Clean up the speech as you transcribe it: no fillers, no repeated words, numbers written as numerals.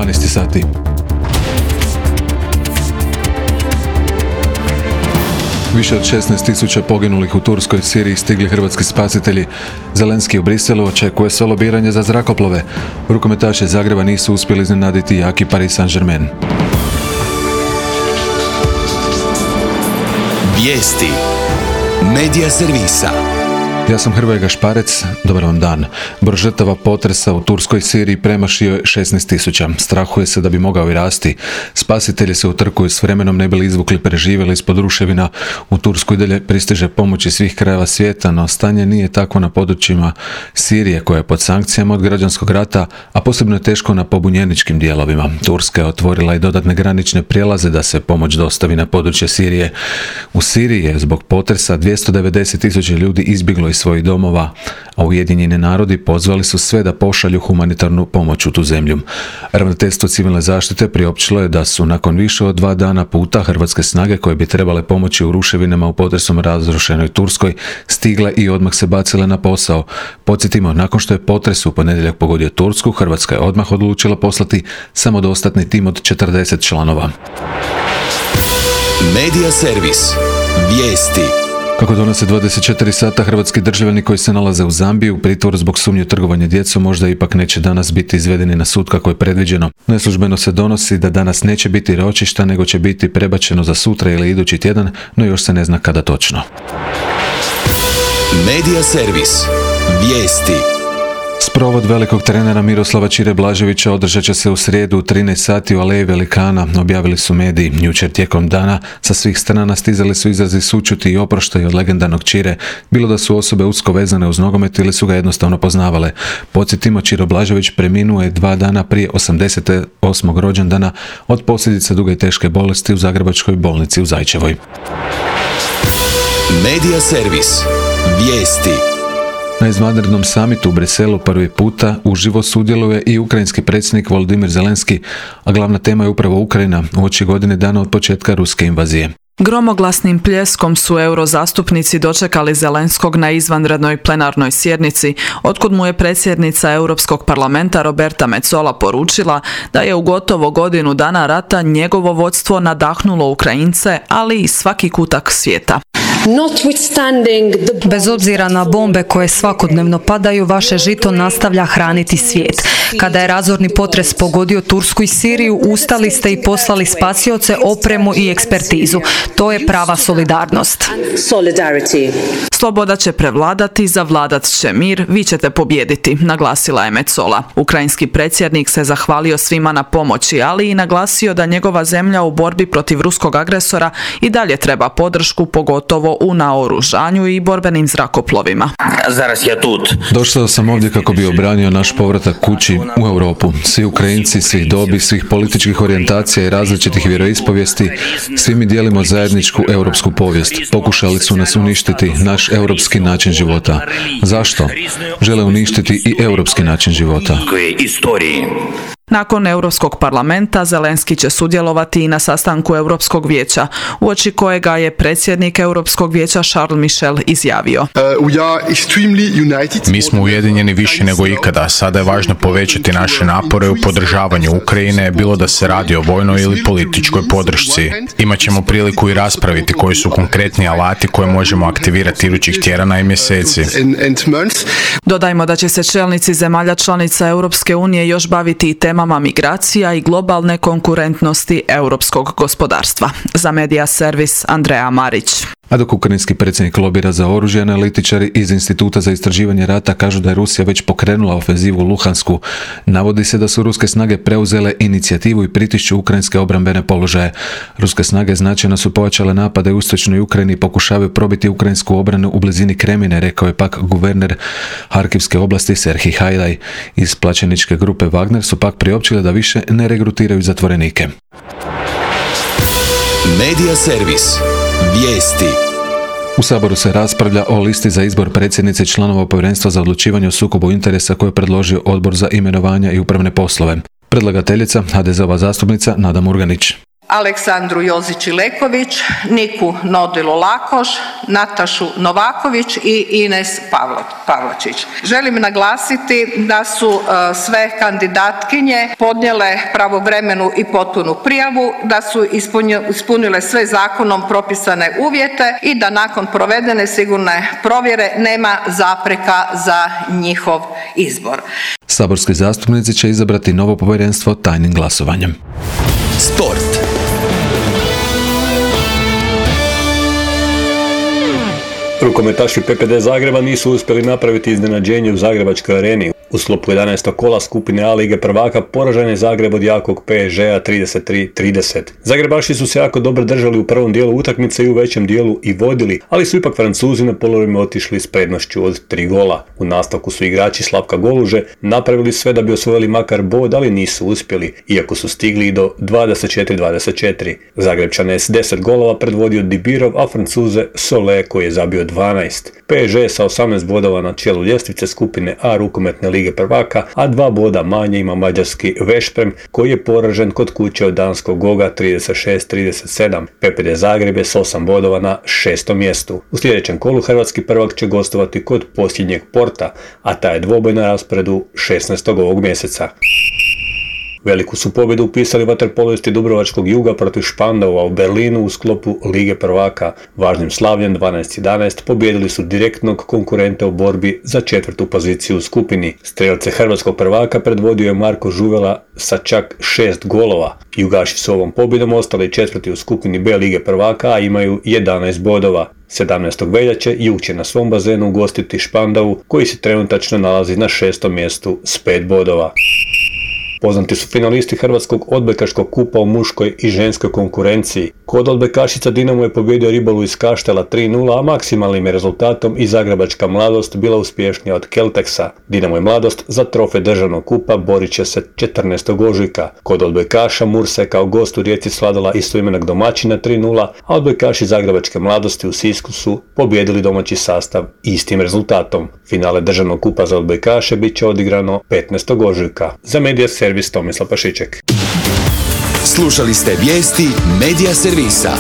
12 sati. Više od 16.000 poginulih u Turskoj i Siriji stigli hrvatski spasitelji. Zelenski u Briselu očekuje se lobiranje za zrakoplove. Rukometaši Zagreba nisu uspjeli iznenaditi jaki Paris Saint-Germain. Vijesti Medija servisa. Ja sam Hrvoje Gašparec, dobar vam dan. Broj žrtava potresa u Turskoj i Siriji premašio je 16.000. Strahuje se da bi mogao i rasti. Spasitelji se utrkuju s vremenom ne bili izvukli preživjeli ispod ruševina. U Tursku i dalje pristiže pomoć iz svih krajeva svijeta, no stanje nije takvo na područjima Sirije koja je pod sankcijama od građanskog rata, a posebno je teško na pobunjeničkim dijelovima. Turska je otvorila i dodatne granične prijelaze da se pomoć dostavi na područje Sirije. U Siriji je zbog potresa 290.000 ljudi izbjeglo iz svojih domova, a Ujedinjeni narodi pozvali su sve da pošalju humanitarnu pomoć u tu zemlju. Ravnateljstvo civilne zaštite priopćilo je da su nakon više od 2 dana puta hrvatske snage koje bi trebale pomoći u ruševinama u potresom razrušenoj Turskoj stigle i odmah se bacile na posao. Podsjetimo, nakon što je potres u ponedjeljak pogodio Tursku, Hrvatska je odmah odlučila poslati samodostatni tim od 40 članova. Medija servis. Vijesti. Kako donose 24 sata, hrvatski državljani koji se nalaze u Zambiji u pritvoru zbog sumnje trgovanja djecom možda ipak neće danas biti izvedeni na sud kako je predviđeno. Neslužbeno se donosi da danas neće biti ročišta, nego će biti prebačeno za sutra ili idući tjedan, no još se ne zna kada točno. Medija servis. Vijesti. Sprovod velikog trenera Miroslava Čire Blaževića održat će se u srijedu u 13 sati u Aleji Velikana, objavili su mediji. Jučer tijekom dana sa svih strana stizali su izrazi sućuti i oproštaja od legendarnog Čire, bilo da su osobe usko vezane uz nogomet ili su ga jednostavno poznavale. Podsjetimo, Čiro Blažević preminuo je 2 dana prije 88. rođendana od posljedica duge i teške bolesti u Zagrebačkoj bolnici u Zajčevoj. Medija servis. Vijesti. Na izvanrednom samitu u Briselu prvi puta uživo sudjeluje i ukrajinski predsjednik Volodymyr Zelenski, a glavna tema je upravo Ukrajina uoči godine dana od početka ruske invazije. Gromoglasnim pljeskom su eurozastupnici dočekali Zelenskog na izvanrednoj plenarnoj sjednici, otkud mu je predsjednica Europskog parlamenta Roberta Metsola poručila da je u gotovo godinu dana rata njegovo vodstvo nadahnulo Ukrajince, ali i svaki kutak svijeta. Bez obzira na bombe koje svakodnevno padaju, vaše žito nastavlja hraniti svijet. Kada je razorni potres pogodio Tursku i Siriju, ustali ste i poslali spasioce, opremu i ekspertizu. To je prava solidarnost. Sloboda će prevladati, zavladat će mir, vi ćete pobijediti, naglasila je Metsola. Ukrajinski predsjednik se zahvalio svima na pomoći, ali i naglasio da njegova zemlja u borbi protiv ruskog agresora i dalje treba podršku, pogotovo u naoružanju i borbenim zrakoplovima. Došao sam ovdje kako bi obranio naš povratak kući u Europu. Svi Ukrajinci, svih dobi, svih političkih orijentacija i različitih vjeroispovijesti, svi mi dijelimo zajedničku europsku povijest. Pokušali su nas uništiti, naš europski način života. Zašto? Žele uništiti i europski način života. Nakon Europskog parlamenta Zelenski će sudjelovati i na sastanku Europskog vijeća, uoči kojega je predsjednik Europskog vijeća Charles Michel izjavio. Mi smo ujedinjeni više nego ikada. Sada je važno povećati naše napore u podržavanju Ukrajine, bilo da se radi o vojnoj ili političkoj podršci. Imaćemo priliku i raspraviti koji su konkretni alati koje možemo aktivirati idućih tjedana i mjeseci. Dodajmo da će se čelnici zemalja članica Europske unije još baviti i temama migracija i globalne konkurentnosti europskog gospodarstva. Za Medija servis Andreja Marić. A dok ukrajinski predsjednik lobira za oružje, analitičari iz Instituta za istraživanje rata kažu da je Rusija već pokrenula ofenzivu u Luhansku. Navodi se da su ruske snage preuzele inicijativu i pritišću ukrajinske obrambene položaje. Ruske snage značajno su pojačale napade u istočnoj Ukrajini i pokušavaju probiti ukrajinsku obranu u blizini Kremine, rekao je pak guverner Harkivske oblasti Serhij Hajdaj. Iz plaćeničke grupe Wagner su pak priopćili da više ne regrutiraju zatvorenike. Medija servis. Vijesti. U Saboru se raspravlja o listi za izbor predsjednice i članova Povjerenstva za odlučivanje o sukobu interesa koje je predložio Odbor za imenovanja i upravne poslove. Predlagateljica HDZ-ova zastupnica Nada Murganić. Aleksandru Jozić-Ileković, Niku Nodilu-Lakoš, Natašu Novaković i Ines Pavlačić. Želim naglasiti da su sve kandidatkinje podnijele pravovremenu i potpunu prijavu, da su ispunile sve zakonom propisane uvjete i da nakon provedene sigurne provjere nema zapreka za njihov izbor. Saborski zastupnici će izabrati novo povjerenstvo tajnim glasovanjem. Sport. Rukometaši PPD Zagreba nisu uspjeli napraviti iznenađenje u Zagrebačkoj areni. U sklopu 11. kola skupine A Lige prvaka poražen je Zagreb od jakog PSG-a 33-30. Zagrebaši su se jako dobro držali u prvom dijelu utakmice i u većem dijelu i vodili, ali su ipak Francuzi na polovima otišli s prednošću od 3 gola. U nastavku su igrači Slavka Goluže napravili sve da bi osvojili makar bod, ali nisu uspjeli, iako su stigli i do 24-24. Zagrebčane je s 10 golova predvodio Dibirov, a Francuze Solé koji je zabio 12. PSG sa 18 bodova na čelu ljestvice skupine A rukometne Lige prvaka, a 2 boda manje ima mađarski Veszprem koji je poražen kod kuće od danskog Goga 36-37. PPD Zagreb je s 8 bodova na 6. mjestu. U sljedećem kolu hrvatski prvak će gostovati kod posljednjeg Porta, a taj je dvoboj na rasporedu 16. ovog mjeseca. Veliku su pobjedu upisali vaterpolisti Dubrovačkog Juga protiv Špandaua u Berlinu u sklopu Lige prvaka. Važnim slavljem 12-11 pobijedili su direktnog konkurenta u borbi za 4. poziciju u skupini. Strelce hrvatskog prvaka predvodio je Marko Žuvela sa čak 6 golova. Jugaši su ovom pobjedom ostali 4. u skupini B Lige prvaka, a imaju 11 bodova. 17. veljače Jug će na svom bazenu ugostiti Špandau koji se trenutačno nalazi na 6. mjestu s 5 bodova. Poznati su finalisti Hrvatskog odbojkaškog kupa u muškoj i ženskoj konkurenciji. Kod odbojkašica Dinamo je pobijedio Ribolu iz Kaštela 3-0, a maksimalnim je rezultatom i Zagrebačka Mladost bila uspješnija od Kelteksa. Dinamo i Mladost za trofej državnog kupa borit će se 14. ožujka. Kod odbojkaša Mursa je kao gost u Rijeci svladala istoimenog domaćina 3-0, a odbojkaši Zagrebačke Mladosti u Sisku su pobijedili domaći sastav istim rezultatom. Finale državnog kupa za odbojkaše bit će odigrano 15. ožujka. Za Medija Servis Tomislav Pašiček. Slušali ste vijesti Medija servisa.